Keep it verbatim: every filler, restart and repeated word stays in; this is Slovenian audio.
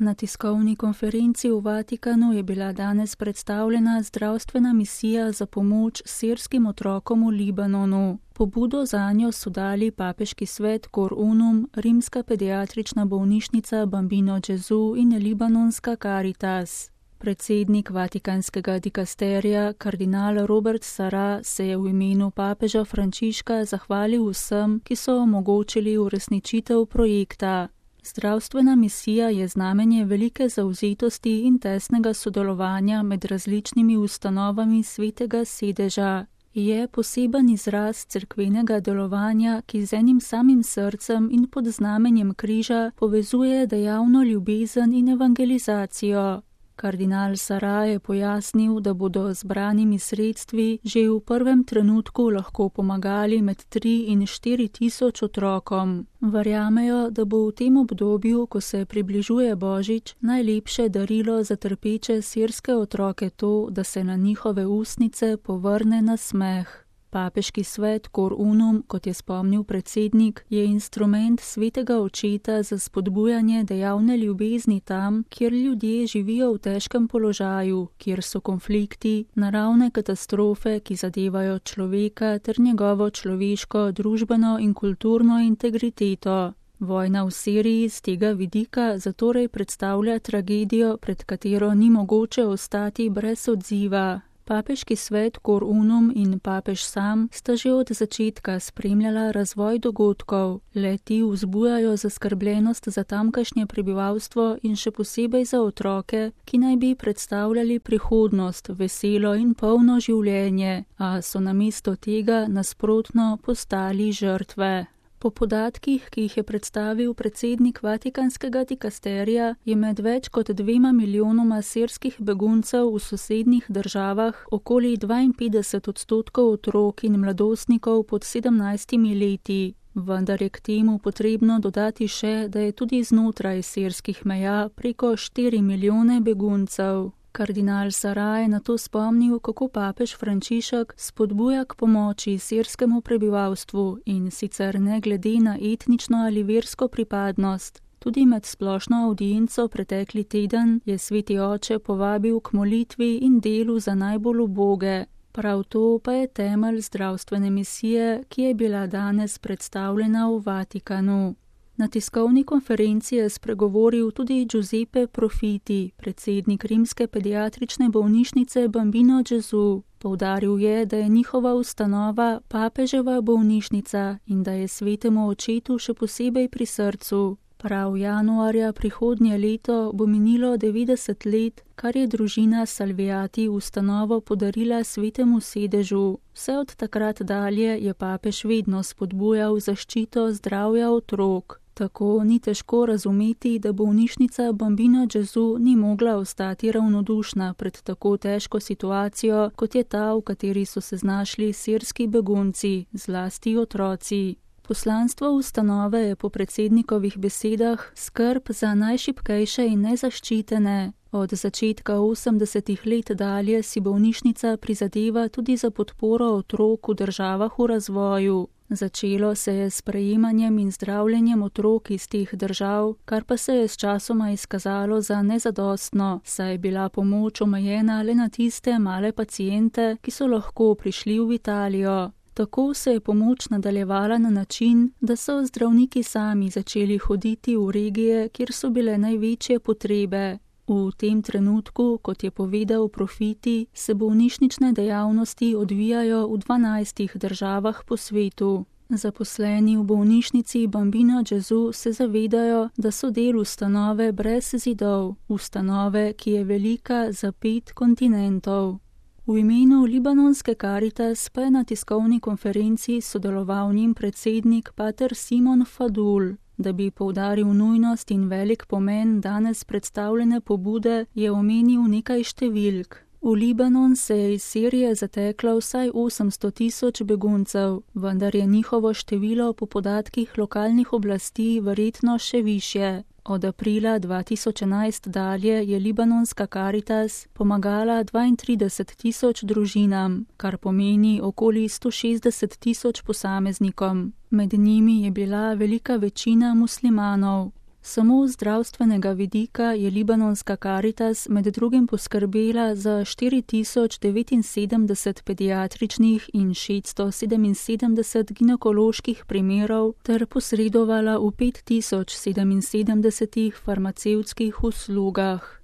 Na tiskovni konferenci v Vatikanu je bila danes predstavljena zdravstvena misija za pomoč sirskim otrokom v Libanonu. Pobudo zanjo so dali papeški svet Cor Unum, rimska pediatrična bolnišnica Bambino Gesù in libanonska Caritas. Predsednik vatikanskega dikasterija, kardinal Robert Sarah, se je v imenu papeža Frančiška zahvalil vsem, ki so omogočili uresničitev projekta. Zdravstvena misija je znamenje velike zavzetosti in tesnega sodelovanja med različnimi ustanovami svetega sedeža. Je poseben izraz cerkvenega delovanja, ki z enim samim srcem in pod znamenjem križa povezuje dejavno ljubezen in evangelizacijo. Kardinal Sarah je pojasnil, da bodo zbranimi sredstvi že v prvem trenutku lahko pomagali med tri in štiri tisoč otrokom. Verjamejo, da bo v tem obdobju, ko se približuje Božič, najlepše darilo za trpeče sirske otroke to, da se na njihove ustnice povrne nasmeh. Papeški svet Cor Unum, kot je spomnil predsednik, je instrument svetega očeta za spodbujanje dejavne ljubezni tam, kjer ljudje živijo v težkem položaju, kjer so konflikti, naravne katastrofe, ki zadevajo človeka ter njegovo človeško, družbeno in kulturno integriteto. Vojna v Siriji z tega vidika zatorej predstavlja tragedijo, pred katero ni mogoče ostati brez odziva. Papeški svet Cor Unum in papež sam sta že od začetka spremljala razvoj dogodkov. Le-ti vzbujajo zaskrbljenost za tamkajšnje prebivalstvo in še posebej za otroke, ki naj bi predstavljali prihodnost, veselo in polno življenje, a so namesto tega nasprotno postali žrtve. Po podatkih, ki jih je predstavil predsednik vatikanskega dikasterija, je med več kot dvema milijonoma sirskih beguncev v sosednjih državah okoli dvainpetdeset odstotkov otrok in mladostnikov pod sedemnajstimi leti. Vendar je k temu potrebno dodati še, da je tudi znotraj sirskih meja preko štiri milijone beguncev. Kardinal Sarah je na to spomnil, kako papež Frančišek spodbuja k pomoči sirskemu prebivalstvu in sicer ne glede na etnično ali versko pripadnost. Tudi med splošno avdienco pretekli teden je sveti oče povabil k molitvi in delu za najbolj uboge. Prav to pa je temelj zdravstvene misije, ki je bila danes predstavljena v Vatikanu. Na tiskovni konferenci je spregovoril tudi Giuseppe Profiti, predsednik rimske pediatrične bolnišnice Bambino Gesù. Poudaril je, da je njihova ustanova papeževa bolnišnica in da je svetemu očetu še posebej pri srcu. Prav januarja prihodnje leto bo minilo devetdeset let, kar je družina Salviati ustanovo podarila svetemu sedežu. Vse od takrat dalje je papež vedno spodbujal zaščito zdravja otrok. Tako ni težko razumeti, da bolnišnica Bambino Gesù ni mogla ostati ravnodušna pred tako težko situacijo, kot je ta, v kateri so se znašli sirski begunci, zlasti otroci. Poslanstvo ustanove je po predsednikovih besedah skrb za najšibkejše in nezaščitene. Od začetka osemdesetih let dalje si bolnišnica prizadeva tudi za podporo otrok v državah v razvoju. Začelo se je s prejemanjem in zdravljenjem otrok iz teh držav, kar pa se je sčasoma izkazalo za nezadostno, saj je bila pomoč omejena le na tiste male paciente, ki so lahko prišli v Italijo. Tako se je pomoč nadaljevala na način, da so zdravniki sami začeli hoditi v regije, kjer so bile največje potrebe. V tem trenutku, kot je povedal Profiti, se bolnišnične dejavnosti odvijajo v dvanajstih državah po svetu. Zaposleni v bolnišnici Bambino Gesù se zavedajo, da so del ustanove brez zidov, ustanove, ki je velika za pet kontinentov. V imenu libanonske Caritas pa je na tiskovni konferenci sodeloval njen predsednik pater Simon Fadul. Da bi poudaril nujnost in velik pomen danes predstavljene pobude, je omenil nekaj številk. V Libanon se je iz Sirije zateklo vsaj osemsto tisoč beguncev, vendar je njihovo število po podatkih lokalnih oblasti verjetno še višje. Od aprila dva tisoč enajst dalje je libanonska Caritas pomagala dvaintrideset tisoč družinam, kar pomeni okoli sto šestdeset tisoč posameznikom. Med njimi je bila velika večina muslimanov. Samo z zdravstvenega vidika je libanonska Karitas med drugim poskrbela za štiri tisoč devetinsedemdeset pediatričnih in šeststo sedeminsedemdeset ginekoloških primerov ter posredovala v pet tisoč sedeminsedemdesetih farmacevtskih uslugah.